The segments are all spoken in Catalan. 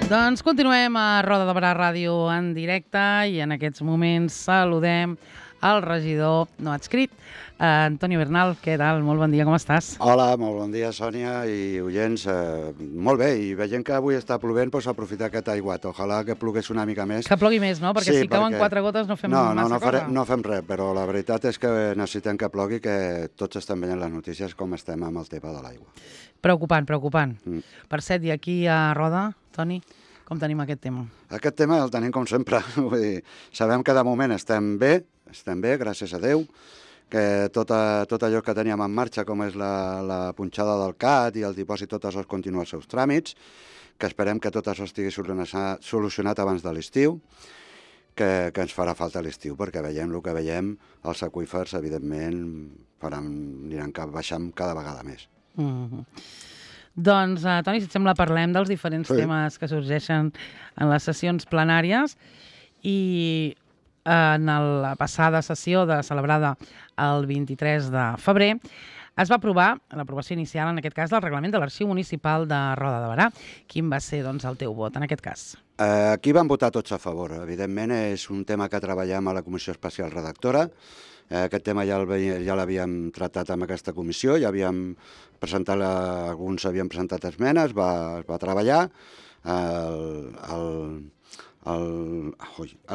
Doncs continuem a Roda de Barà Ràdio en directe i en aquests moments saludem el regidor no adscrit, Antonio Bernal. Què tal? Molt bon dia, com estàs? Hola, molt bon dia, Sònia i oients. Molt bé, i veient que avui està plovent, doncs aprofitar aquest aiguat. Ojalà que plogués una mica més. Que plogui més, no? Perquè si cauen 4 gotes no fem massa cosa. No fem res, però la veritat és que necessitem que plogui, que tots estem veient les notícies com estem amb el tema de l'aigua. Preocupant. Per cert, i aquí a Roda, Toni, com tenim aquest tema? Aquest tema el tenim com sempre. Vull dir, sabem que de moment estem bé, gràcies a Déu, que tot allò que teníem en marxa, com és la punxada del CAT i el dipòsit, tot això continua els seus tràmits, que esperem que tot això estigui solucionat abans de l'estiu, que ens farà falta l'estiu, perquè veiem el que veiem, els aqüífers, evidentment, aniran baixant cada vegada més. Doncs, Toni, si et sembla, parlem dels diferents temes que sorgeixen en les sessions plenàries i en la passada sessió celebrada el 23 de febrer es va aprovar, l'aprovació inicial en aquest cas, del reglament de l'Arxiu Municipal de Roda de Barà. Quin va ser, doncs, el teu vot en aquest cas? Aquí van votar tots a favor. Evidentment, és un tema que treballem a la Comissió Especial Redactora. Aquest tema ja l'havíem tractat amb aquesta comissió, ja havíem presentat, alguns havien presentat esmenes, es va treballar.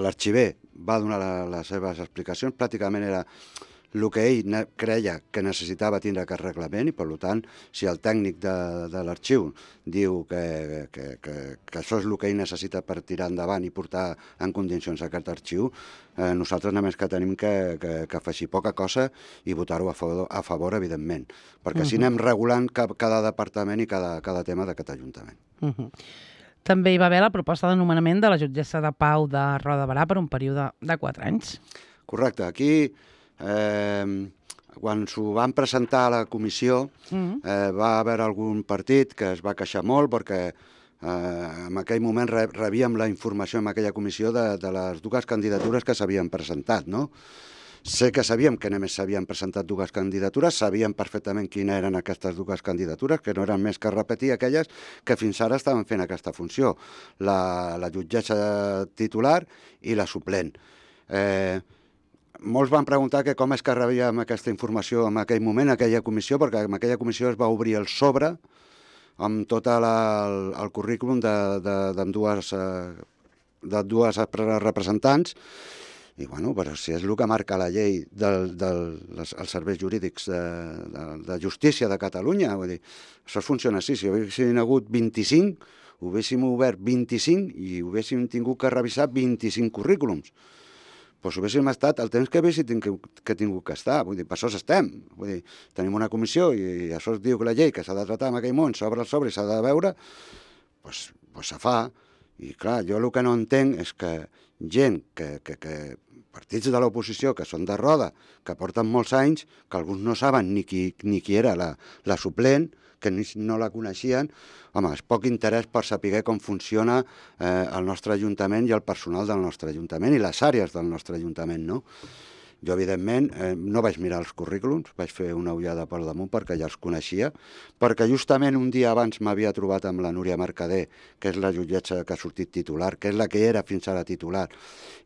L'arxiver va donar les seves explicacions, pràcticament era el que ell creia que necessitava tindre aquest reglament i, per tant, si el tècnic de l'arxiu diu que això és el que ell necessita per tirar endavant i portar en condicions aquest arxiu, nosaltres només que tenim que afegir poca cosa i votar-ho a favor, evidentment, perquè així anem regulant cada departament i cada tema d'aquest Ajuntament. També hi va haver la proposta de nomenament de la jutgessa de Pau de Roda de Barà per un període de 4 anys. Correcte. Aquí, quan s'ho van presentar a la comissió, va haver algun partit que es va queixar molt perquè en aquell moment rebíem la informació en aquella comissió de les dues candidatures que s'havien presentat, no? Sé que sabíem que només s'havien presentat dues candidatures, sabíem perfectament quines eren aquestes dues candidatures, que no eren més que repetir aquelles que fins ara estaven fent aquesta funció, la jutgessa titular i la suplent. Molts van preguntar que com és que rebíem aquesta informació en aquell moment, en aquella comissió, perquè en aquella comissió es va obrir el sobre amb tot el currículum de dues representants. I, bueno, però si és el que marca la llei dels serveis jurídics de justícia de Catalunya, vull dir, això funciona així. Si haguessin hagut 25, ho haguéssim obert 25 i haguéssim tingut que revisar 25 currículums. Doncs haguéssim estat el temps que haguéssim tingut que estar. Vull dir, per això estem. Vull dir, tenim una comissió i això es diu que la llei que s'ha de tratar en aquell món, s'obre el sobre i s'ha de veure, doncs se fa. I clar, jo el que no entenc és que gent, partits de l'oposició que són de Roda, que porten molts anys, que alguns no saben ni qui era la suplent, que no la coneixien, home, és poc interès per saber com funciona el nostre Ajuntament i el personal del nostre Ajuntament i les àrees del nostre Ajuntament, no? Jo, evidentment, no vaig mirar els currículums, vaig fer una ullada per damunt perquè ja els coneixia, perquè justament un dia abans m'havia trobat amb la Núria Mercader, que és la jutgessa que ha sortit titular, que és la que era fins ara titular,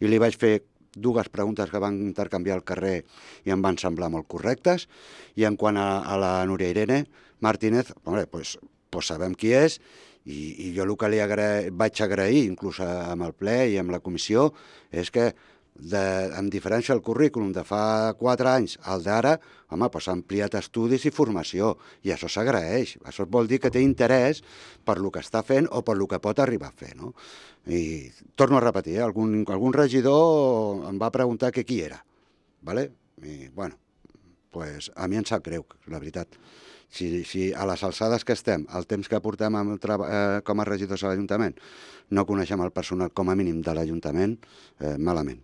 i li vaig fer dues preguntes que van intercanviar al carrer i em van semblar molt correctes, i en quant a la Núria Irene Martínez, doncs sabem qui és, i jo el que li vaig agrair, inclús amb el ple i amb la comissió, és que en diferència al currículum de fa 4 anys al d'ara, home, s'ha ampliat estudis i formació, i això s'agraeix. Això vol dir que té interès per lo que està fent o per lo que pot arribar a fer, no? I torno a repetir, algun regidor em va preguntar que qui era, ¿vale? I, bueno, pues a mi em sap greu, la veritat. Si a les alçades que estem, el temps que portem com a regidors a l'Ajuntament, no coneixem el personal com a mínim de l'Ajuntament, malament.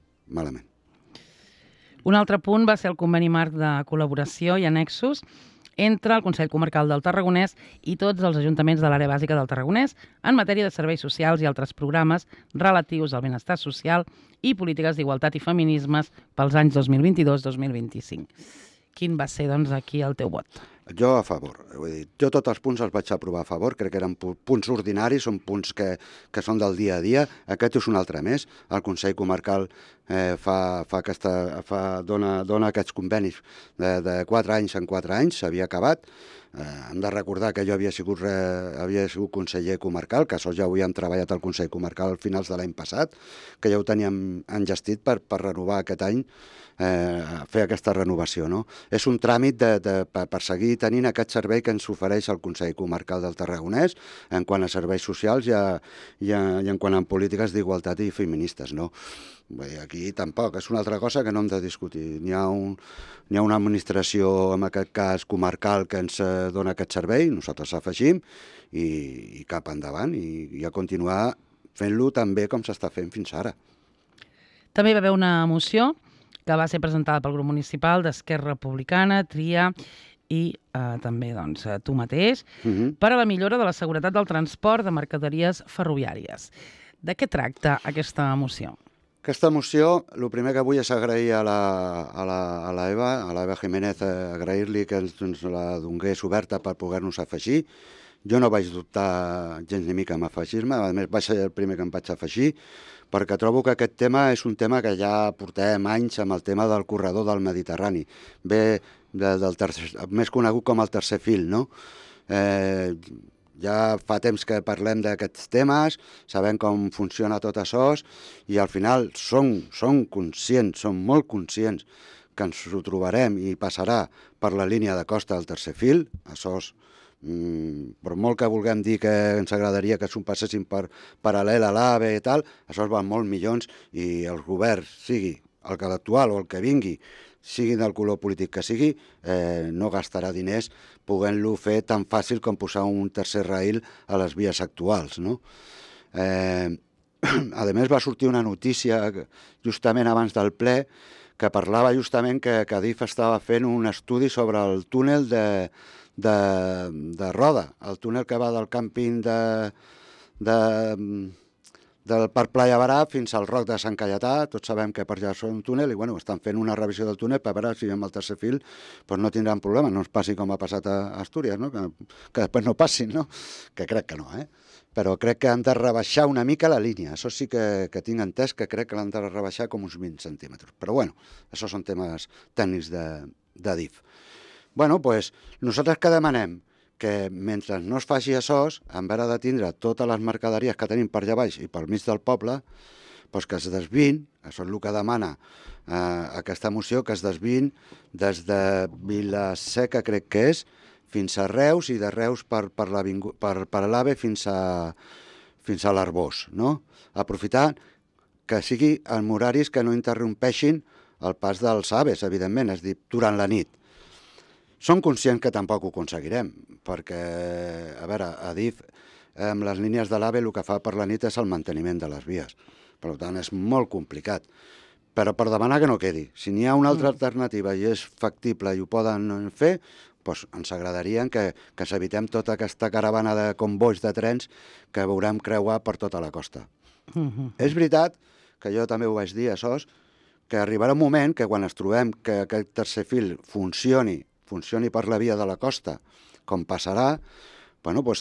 Un altre punt va ser el conveni marc de col·laboració i annexos entre el Consell Comarcal del Tarragonès i tots els ajuntaments de l'àrea bàsica del Tarragonès en matèria de serveis socials i altres programes relatius al benestar social i polítiques d'igualtat i feminismes pels anys 2022-2025. Quin va ser, doncs, aquí el teu vot? Jo a favor. Vull dir, jo tots els punts els vaig aprovar a favor, crec que eren punts ordinaris, són punts que són del dia a dia. Aquest és un altre més. El Consell Comarcal dona aquests convenis de 4 anys en 4 anys, s'havia acabat. Hem de recordar que jo havia sigut conseller comarcal, que això ja ho havíem treballat al Consell Comarcal al finals de l'any passat, que ja ho teníem engestit per renovar aquest any, fer aquesta renovació. No? És un tràmit per seguir tenint aquest servei que ens ofereix el Consell Comarcal del Tarragonès en quant a serveis socials i en quant a polítiques d'igualtat i feministes. No? Aquí tampoc, és una altra cosa que no hem de discutir. N'hi ha una administració, en aquest cas comarcal, que ens dona aquest servei, nosaltres afegim, i cap endavant, i a continuar fent-lo tan bé com s'està fent fins ara. També hi va haver una moció que va ser presentada pel grup municipal d'Esquerra Republicana, Tria i també tu mateix, per a la millora de la seguretat del transport de mercaderies ferroviàries. De què tracta aquesta moció? Aquesta moció, el primer que vull és agrair a l'Eva Jiménez, agrair-li que ens la donés oberta per poder-nos afegir. Jo no vaig dubtar gens ni mica en afegir-me, a més vaig ser el primer que em vaig afegir, perquè trobo que aquest tema és un tema que ja portem anys amb el tema del corredor del Mediterrani. Ve més conegut com el tercer fil, no? Ja fa temps que parlem d'aquests temes, sabem com funciona tot això i al final som conscients, som molt conscients que ens ho trobarem i passarà per la línia de costa del tercer fil. Això per molt que vulguem dir que ens agradaria que s'ho passessin per paral·lel a l'AVE i tal, això val molts milions i el govern, sigui el que l'actual o el que vingui, sigui del color polític que sigui, no gastarà diners podent-lo fer tan fàcil com posar un tercer rail a les vies actuals. No? A més, va sortir una notícia justament abans del ple que parlava justament que Adif estava fent un estudi sobre el túnel de Roda, el túnel que va del càmping del Parc Playa Barà fins al Roc de Sant Caietà. Tots sabem que per allà són un túnel i estan fent una revisió del túnel per veure si amb el tercer fil no tindran problema, no ens passi com ha passat a Astúries, no? Que després no passin, no? Que crec que no, però crec que han de rebaixar una mica la línia. Això sí que tinc entès, que crec que l'han de rebaixar com uns 20 centímetres. Però això són temes tècnics d'Adif. Nosaltres que demanem que mentre no es faci això, en vez de tindre totes les mercaderies que tenim per allà baix i pel mig del poble, que es desviïn, això és el que demana aquesta moció, que es desviïn des de Vila-seca, crec que és, fins a Reus, i de Reus per l'AVE fins a l'Arbós. No? Aprofitar que sigui en horaris que no interrompeixin el pas dels AVEs, evidentment, és a dir, durant la nit. Som conscients que tampoc ho aconseguirem, perquè, a veure, Adif, amb les línies de l'AVE, el que fa per la nit és el manteniment de les vies. Per tant, és molt complicat. Però per demanar que no quedi. Si n'hi ha una altra alternativa i és factible i ho poden fer, ens agradaria que s'evitem tota aquesta caravana de convois de trens que veurem creuar per tota la costa. És veritat, que jo també ho vaig dir, això, que arribarà un moment que quan ens trobem que aquest tercer fil funcioni per la via de la costa, com passarà,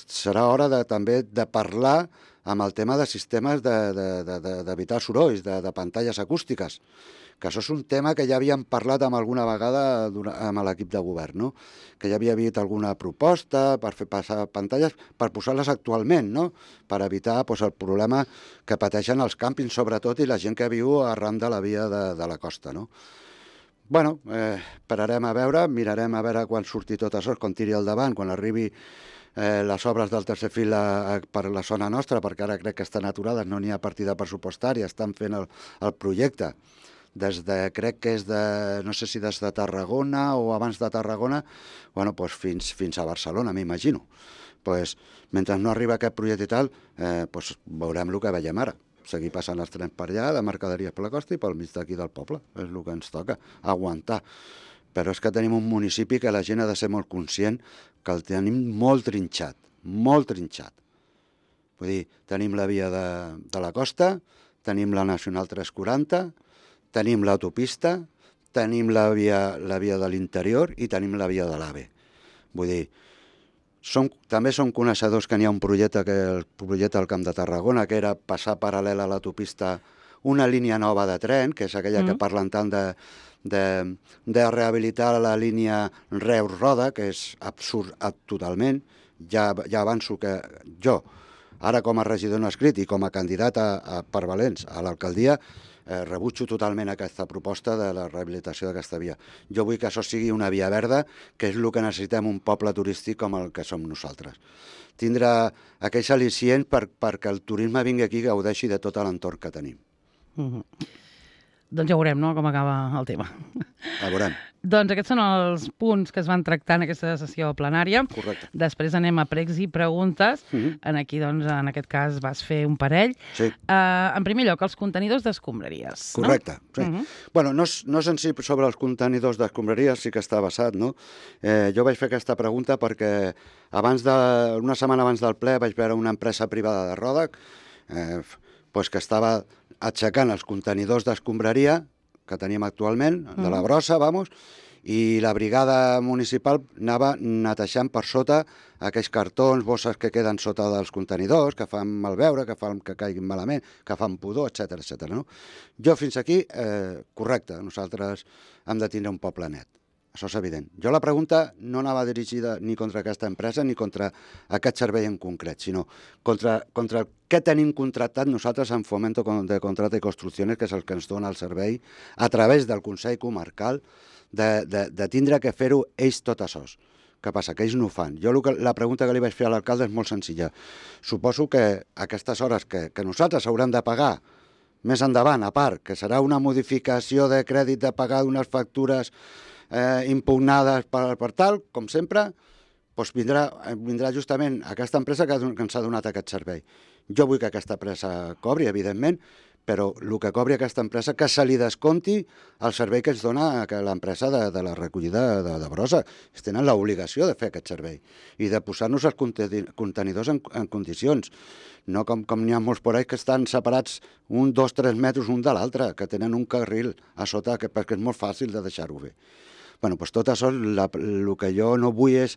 serà hora també de parlar amb el tema de sistemes d'evitar sorolls, de pantalles acústiques, que això és un tema que ja havíem parlat alguna vegada amb l'equip de govern, no? Que ja havia hagut alguna proposta per fer passar pantalles, per posar-les actualment, no? Per evitar el problema que pateixen els càmpings, sobretot, i la gent que viu arran de la via de la costa, no? Esperarem a veure, mirarem a veure quan surti tot això, quan tiri al davant, quan arribi les obres del tercer fil per la zona nostra, perquè ara crec que estan aturades, no n'hi ha partida pressupostària, estan fent el projecte crec que és no sé si des de Tarragona o abans de Tarragona, fins a Barcelona, m'imagino. Mentre no arriba aquest projecte i tal, veurem el que veiem ara. Seguir passant els trens per allà, de mercaderies per la costa i pel mig d'aquí del poble. És el que ens toca, aguantar. Però és que tenim un municipi que la gent ha de ser molt conscient que el tenim molt trinxat, molt trinxat. Vull dir, tenim la via de la costa, tenim la Nacional 340, tenim l'autopista, tenim la via de l'interior i tenim la via de l'AVE. Vull dir, també som coneixedors que n'hi ha un projecte, el projecte del Camp de Tarragona, que era passar paral·lel a l'autopista una línia nova de tren, que és aquella que parlen tant de rehabilitar la línia Reus-Roda, que és absurd totalment. Ja avanço que jo, ara com a regidor no escrit i com a candidat per Valents a l'alcaldia, rebutjo totalment aquesta proposta de la rehabilitació d'aquesta via. Jo vull que això sigui una via verda, que és el que necessitem un poble turístic com el que som nosaltres. Tindrà aquells al·licients perquè el turisme vingui aquí i gaudeixi de tot l'entorn que tenim. Doncs ja veurem, no?, com acaba el tema. Ja veurem. Doncs aquests són els punts que es van tractar en aquesta sessió plenària. Correcte. Després anem a pregs i preguntes. Aquí, doncs, en aquest cas, vas fer un parell. Sí. En primer lloc, els contenidors d'escombraries. Correcte, sí. Bueno, no és en si sobre els contenidors d'escombraries, sí que està basat, no? Jo vaig fer aquesta pregunta perquè una setmana abans del ple vaig veure una empresa privada de Roda que estava aixecant els contenidors d'escombraria que tenim actualment, de la brossa, i la brigada municipal anava netejant per sota aquells cartons, bosses que queden sota dels contenidors, que fan malveure, que fan que caiguin malament, que fan pudor, etc. No? Jo fins aquí, correcte, nosaltres hem de tindre un poble net. Això és evident. Jo la pregunta no anava dirigida ni contra aquesta empresa ni contra aquest servei en concret, sinó contra què tenim contractat nosaltres en Fomento de Contrata i Construcciones, que és el que ens dona el servei, a través del Consell Comarcal, de tindre que fer-ho ells tot això. Què passa? Que ells no ho fan. Jo la pregunta que li vaig fer a l'alcalde és molt senzilla. Suposo que aquestes hores que nosaltres haurem de pagar més endavant, a part, que serà una modificació de crèdit de pagar d'unes factures impugnades per tal, com sempre, doncs vindrà justament aquesta empresa que ens ha donat aquest servei. Jo vull que aquesta empresa cobri, evidentment, però el que cobri aquesta empresa, que se li desconti el servei que ens dona l'empresa de la recollida de brossa. Ells tenen l'obligació de fer aquest servei i de posar-nos els contenidors en condicions. No com n'hi ha molts por ahí que estan separats 1, 2, 3 metres un de l'altre, que tenen un carril a sota perquè és molt fàcil de deixar-ho bé. Bueno, doncs tot això, el que jo no vull és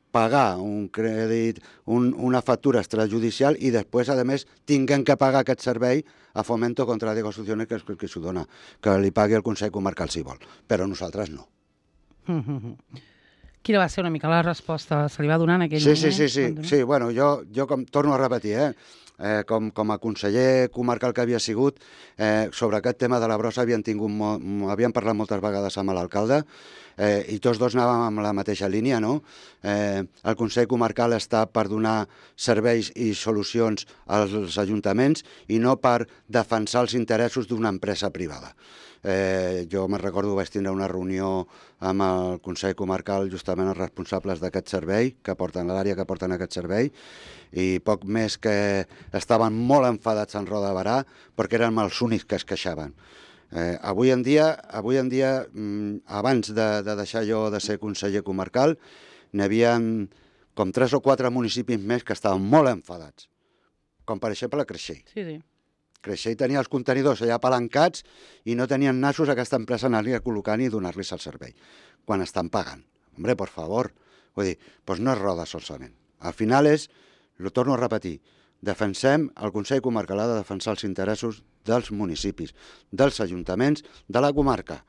pagar un crèdit, una factura extrajudicial i després, a més, tinguem que pagar aquest servei a Fomento Contrata i Construcciones, que és el que s'ho dona, que li pagui el Consell Comarcal si vol, però nosaltres no. Quina va ser una mica la resposta? Se li va donar en aquell moment? Sí, bueno, jo com torno a repetir, com a conseller comarcal que havia sigut, sobre aquest tema de la brossa havíem parlat moltes vegades amb l'alcalde i tots dos anàvem amb la mateixa línia, no? El Consell Comarcal està per donar serveis i solucions als ajuntaments i no per defensar els interessos d'una empresa privada. Jo me'n recordo, vaig tindre una reunió amb el Consell Comarcal, justament els responsables d'aquest servei, que porten l'àrea que porten aquest servei, i poc més que estaven molt enfadats en Roda de Barà perquè érem els únics que es queixaven. Avui en dia, abans de deixar jo de ser conseller comarcal, n'hi havia com 3 o 4 municipis més que estaven molt enfadats, com per exemple Creixell. Sí. Creixell tenia els contenidors allà apalancats i no tenien nassos a aquesta empresa anar-li a col·locant i donar-los el servei, quan estan pagant. Hombre, por favor. Vull dir, doncs no és Roda solament. Al final ho torno a repetir, defensem, el Consell Comarcal ha de defensar els interessos dels municipis, dels ajuntaments, de la comarca,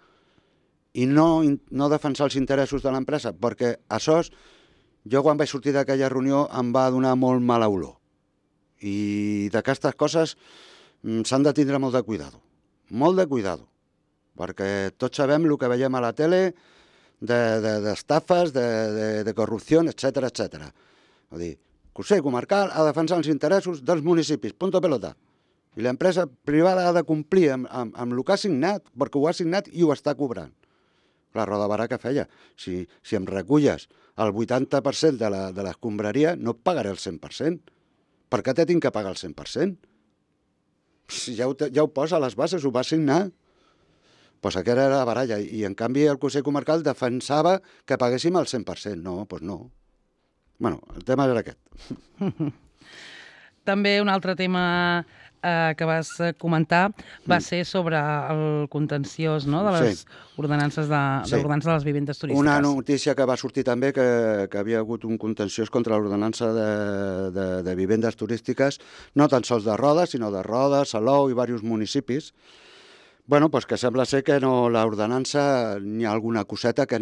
i no defensar els interessos de l'empresa, perquè això, jo quan vaig sortir d'aquella reunió em va donar molt mala olor. I d'aquestes coses s'han de tindre molt de cuidado, perquè tots sabem el que veiem a la tele d'estafes, de corrupció, etc. Vull dir, el Consell Comarcal ha de defensar els interessos dels municipis, punto pelota. I l'empresa privada ha de complir amb el que ha signat, perquè ho ha signat i ho està cobrant. La Roda de Barà què feia? Si em reculles el 80% de l'escombraria, no et pagaré el 100%. Per què tinc que pagar el 100%? Si ja ho posa a les bases, ho va signar. Doncs aquesta era la baralla. I en canvi el Consell Comarcal defensava que paguéssim el 100%. No, doncs no. Bueno, el tema era aquest. També un altre tema que vas comentar va ser sobre el contenciós, no?, de les ordenances de les vivendes turístiques. Una notícia que va sortir també que havia hagut un contenciós contra l'ordenança de vivendes turístiques, no tan sols de Roda, sinó de Roda, Salou i diversos municipis. Bueno, doncs que sembla ser que l'ordenança, n'hi ha alguna coseta que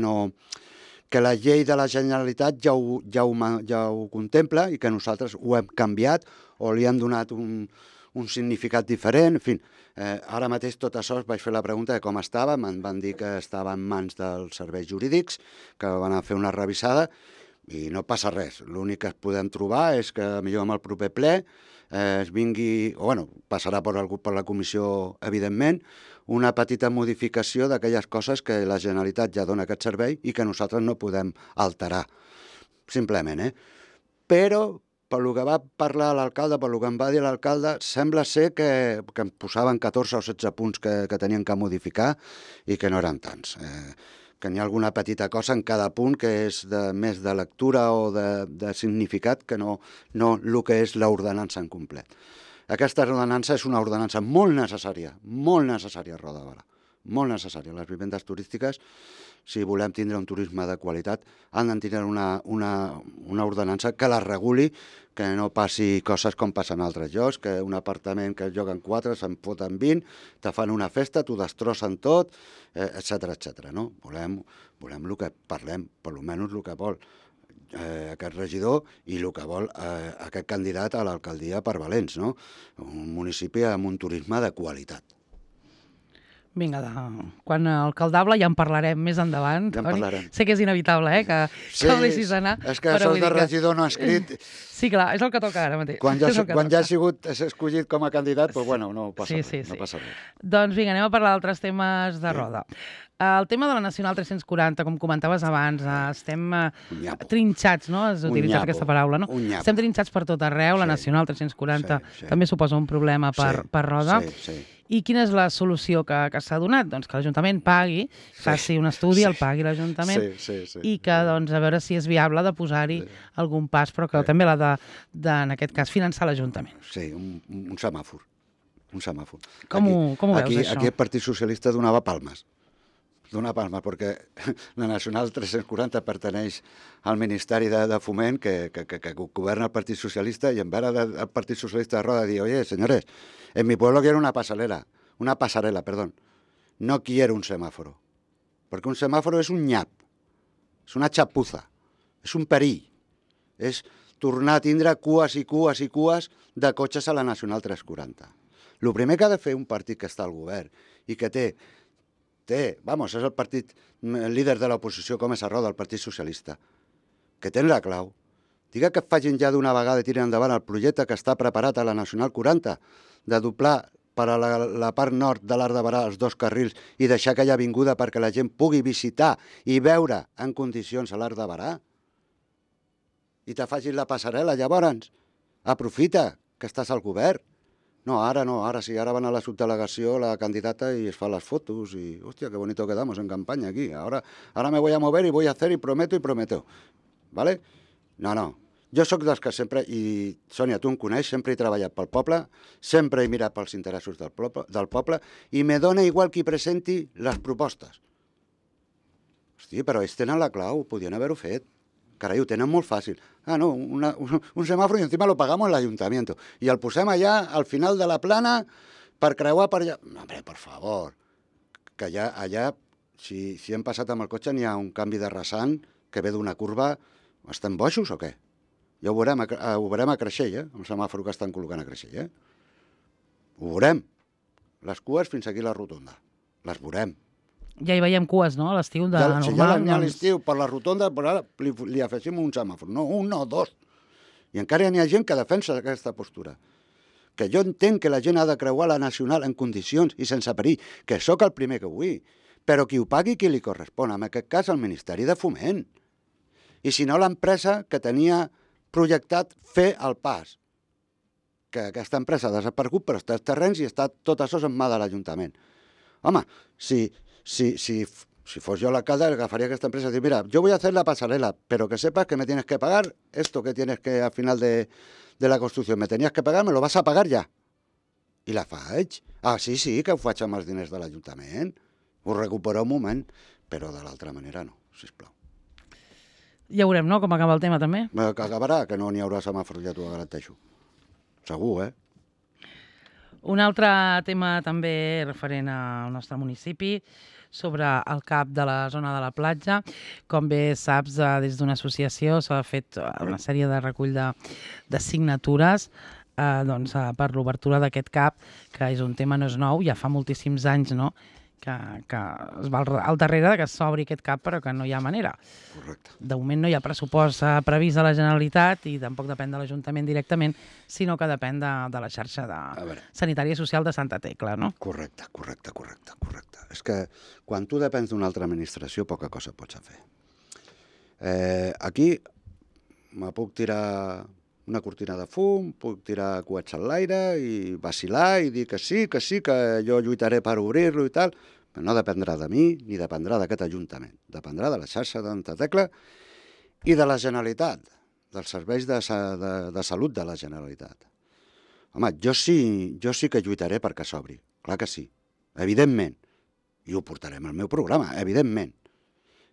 la llei de la Generalitat ja ho contempla i que nosaltres ho hem canviat o li hem donat un significat diferent. En fi, ara mateix tot això vaig fer la pregunta de com estava, em van dir que estava en mans dels serveis jurídics, que van a fer una revisada i no passa res. L'únic que podem trobar és que millor amb el proper ple es vingui, o bueno, passarà per la comissió, evidentment, una petita modificació d'aquelles coses que la Generalitat ja dona aquest servei i que nosaltres no podem alterar, simplement, Però, per lo que va parlar l'alcalde, per lo que em va dir l'alcalde, sembla ser que em posaven 14 o 16 punts que tenien que modificar i que no eren tants. Que n'hi ha alguna petita cosa en cada punt que és més de lectura o de significat que no el que és l'ordenança en complet. Aquesta ordenança és una ordenança molt necessària a Roda de Barà, molt necessària. Les vivendes turístiques, si volem tindre un turisme de qualitat, han de tindre una ordenança que la reguli, que no passi coses com passen a altres llocs, que un apartament que es lloguen 4, se'n foten 20, te fan una festa, t'ho destrossen tot, etc. No? Volem el que parlem, per almenys el que vol aquest regidor i el que vol aquest candidat a l'alcaldia per Valens, no? Un municipi amb un turisme de qualitat. Vinga, quan alcaldable ja en parlarem més endavant. Ja en parlarem. Sé que és inevitable, que el deixis anar. És que això de regidor no escrit... Sí, clar, és el que toca ara mateix. Quan ja ha sigut escollit com a candidat, doncs bueno, no passa res. Doncs vinga, anem a parlar d'altres temes de Roda. El tema de la Nacional 340, com comentaves abans, estem trinxats, no? Has utilitzat aquesta paraula, no? Estem trinxats per tot arreu, la Nacional 340 també suposa un problema per Roda. I quina és la solució que s'ha donat? Doncs que l'Ajuntament pagui, faci un estudi, el pagui l'Ajuntament, i que, doncs, a veure si és viable de posar-hi algun pas, però que també l'ha de, en aquest cas, finançar l'Ajuntament. Sí, un semàfor. Un semàfor. Com ho veus, això? Aquí el Partit Socialista donava palmes. Dona palmes, perquè la Nacional 340 perteneix al Ministeri de Foment que governa el Partit Socialista, i en vera del Partit Socialista de Roda dir, oye, señores, en mi pueblo quiero una pasarela, no quiero un semáforo, perquè un semàforo és un nyap, és una xapuza, és un perill, és tornar a tindre cues i cues i cues de cotxes a la Nacional 340. El primer que ha de fer un partit que està al govern i que és el partit líder de l'oposició com és a Roda, el Partit Socialista, que té la clau. Diga que facin ja d'una vegada i tiren endavant el projecte que està preparat a la Nacional 40, de doblar per a la part nord de l'Arc de Barà els 2 carrils i deixar aquella avinguda perquè la gent pugui visitar i veure en condicions a l'Arc de Barà. I te facin la passarel·la, llavors. Aprofita que estàs al govern. No, ara sí, ara van a la subdelegació la candidata y es fa las fotos y, hostia, qué bonito quedamos en campaña aquí. Ahora me voy a mover y voy a hacer y prometo. ¿Vale? No. Jo sóc dels que sempre, i Sònia, tu em coneix, sempre he treballat pel poble, sempre he mirat pels interessos del poble i me dona igual qui presenti les propostes. Hosti, però ells tenen la clau, podien haver-ho fet. Carai, ho tenen molt fàcil. No, un semàfor i encima lo pagamos el ayuntamiento. I el posem allà, al final de la plana, per creuar per allà. No, hombre, per favor. Que allà, si hem passat amb el cotxe, n'hi ha un canvi de rasant que ve d'una curva. Estan boixos o què? Ja ho veurem a Creixell, el semàfor que estan col·locant a Creixell. Ho veurem. Les cues fins aquí a la rotonda. Les veurem. Ja hi veiem cues, no?, a l'estiu de normal. Si ja n'hi ha a l'estiu per la rotonda, però ara li afegim un semàfor. No, un, no, 2. I encara n'hi ha gent que defensa aquesta postura. Que jo entenc que la gent ha de creuar la Nacional en condicions i sense perill, que sóc el primer que vull, però qui ho pagui qui li correspon, en aquest cas el Ministeri de Foment. I si no, l'empresa que tenia projectat fer el pas. Que aquesta empresa ha desaparegut, però està als terrenys i està tot això en mà de l'Ajuntament. Home, si fos yo el alcalde, agafaría a esta empresa y decir, mira, yo voy a hacer la pasarela, pero que sepas que me tienes que pagar esto que tienes que al final de la construcción, me tenías que pagar, me lo vas a pagar ya. I la faig. Ah, sí, que ho faig amb els diners de l'Ajuntament. Ho recupero un moment, però de l'altra manera no, sisplau. Ja veurem, no?, com acaba el tema, també. Que acabarà, que no n'hi haurà semàfors, ja t'ho garanteixo. Segur, Un altre tema també referent al nostre municipi, sobre el CAP de la zona de la platja. Com bé saps, des d'una associació s'ha fet una sèrie de recull de signatures per l'obertura d'aquest CAP, que és un tema, no és nou, ja fa moltíssims anys, no?, que es va al darrere que s'obri aquest CAP, però que no hi ha manera. Correcte. De moment no hi ha pressupost previst a la Generalitat i tampoc depèn de l'Ajuntament directament, sinó que depèn de la xarxa sanitària i social de Santa Tecla, no? Correcte. És que quan tu depens d'una altra administració, poca cosa pots fer. Aquí me puc tirar una cortina de fum, puc tirar coets a l'aire i vacilar i dir que sí, que jo lluitaré per obrir-lo i tal, però no dependrà de mi ni dependrà d'aquest Ajuntament. Dependrà de la xarxa de Santa Tecla i de la Generalitat, dels serveis de salut de la Generalitat. Home, jo sí que lluitaré perquè s'obri, clar que sí, evidentment, i ho portarem al meu programa, evidentment.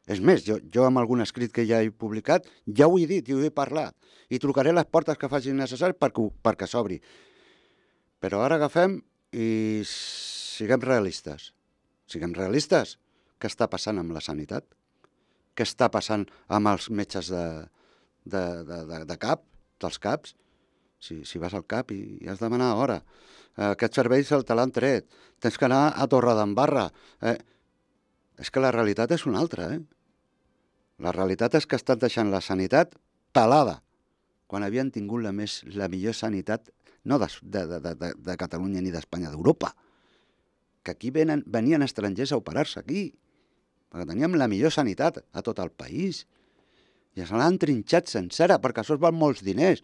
És més, jo amb algun escrit que ja he publicat, ja ho he dit i ho he parlat, i trucaré les portes que facin necessari perquè s'obri. Però ara agafem i siguem realistes. Siguem realistes. Què està passant amb la sanitat? Què està passant amb els metges de cap, dels CAPs? Si vas al CAP i has de demanar hora. Aquests serveis te l'han tret. Tens que anar a Torredembarra. És que la realitat és una altra, La realitat és que estan deixant la sanitat pelada, quan havien tingut la millor sanitat, no de Catalunya ni d'Espanya, d'Europa. Que aquí venien estrangers a operar-se aquí, perquè teníem la millor sanitat a tot el país. I se l'han trinxat sencera, perquè això es val molts diners.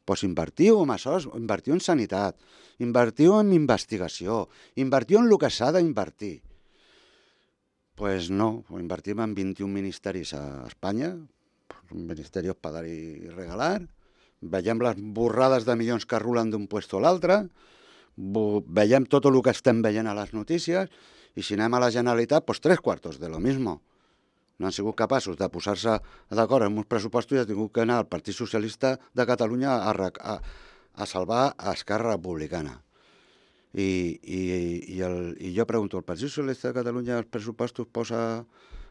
Doncs invertiu en això, invertiu en sanitat, invertiu en investigació, invertiu en el que s'ha d'invertir. Pues no, invertim en 21 ministeris a Espanya, ministerios para dar y regalar, veiem les borrades de milions que rulen d'un puesto a l'altre, veiem tot el que estem veient a les notícies, i si anem a la Generalitat, pues 3/4 de lo mismo. No han sigut capaços de posar-se d'acord amb uns pressupostos i ha tingut que anar al Partit Socialista de Catalunya a salvar a Esquerra Republicana. I jo pregunto, el Partit Socialista de Catalunya els pressupostos posa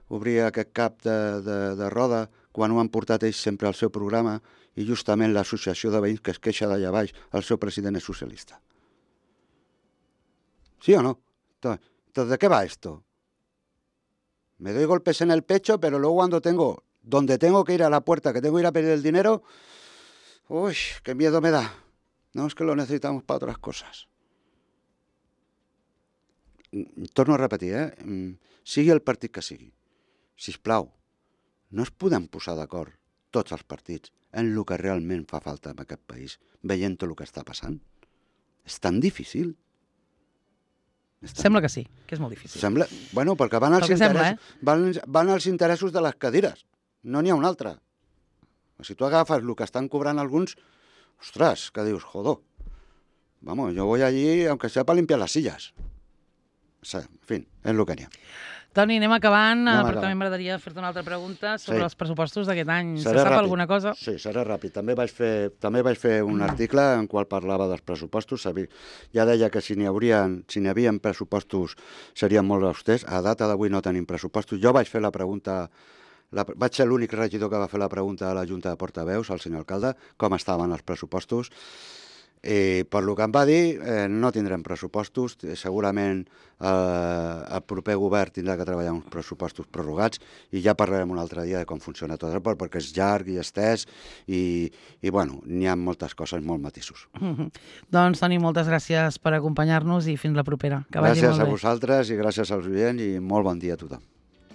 obrir aquest CAP de roda quan ho han portat ells sempre al seu programa i justament l'associació de veïns que es queixa d'allà baix, el seu president és socialista? ¿Sí o no? Entonces, ¿de qué va esto? Me doy golpes en el pecho, pero luego donde tengo que ir a la puerta, que tengo que ir a pedir el dinero, uy, qué miedo me da. No, es que lo necesitamos para otras cosas. Torno a repetir, sigui el partit que sigui, sisplau, no es podem posar d'acord tots els partits en el que realment fa falta en aquest país, veient tot el que està passant. És tan difícil. Sembla que sí, que és molt difícil. Bueno, perquè van als interessos de les cadires, no n'hi ha un altre. Si tu agafes el que estan cobrant alguns, ostres, que dius, joder, vamos, yo voy allí aunque sea para limpiar las sillas. En fi, és el que n'hi ha. Toni, anem acabant, però també m'agradaria fer-te una altra pregunta sobre els pressupostos d'aquest any. Se sap alguna cosa? Sí, serà ràpid. També vaig fer un article en qual parlava dels pressupostos. Ja deia que si n'hi havien pressupostos serien molt austers. A data d'avui no tenim pressupostos. Jo vaig fer la pregunta, vaig ser l'únic regidor que va fer la pregunta a la Junta de Portaveus, al senyor alcalde, com estaven els pressupostos. Per lo que em va dir, no tindrem pressupostos, segurament el proper govern tindrà que treballar uns pressupostos prorrogats i ja parlarem un altre dia de com funciona tot, perquè és llarg i estès i bueno, n'hi ha moltes coses, molts matisos. Doncs, Toni, moltes gràcies per acompanyar-nos i fins la propera. Que vagi molt bé. Gràcies a vosaltres i gràcies als oients i molt bon dia a tothom.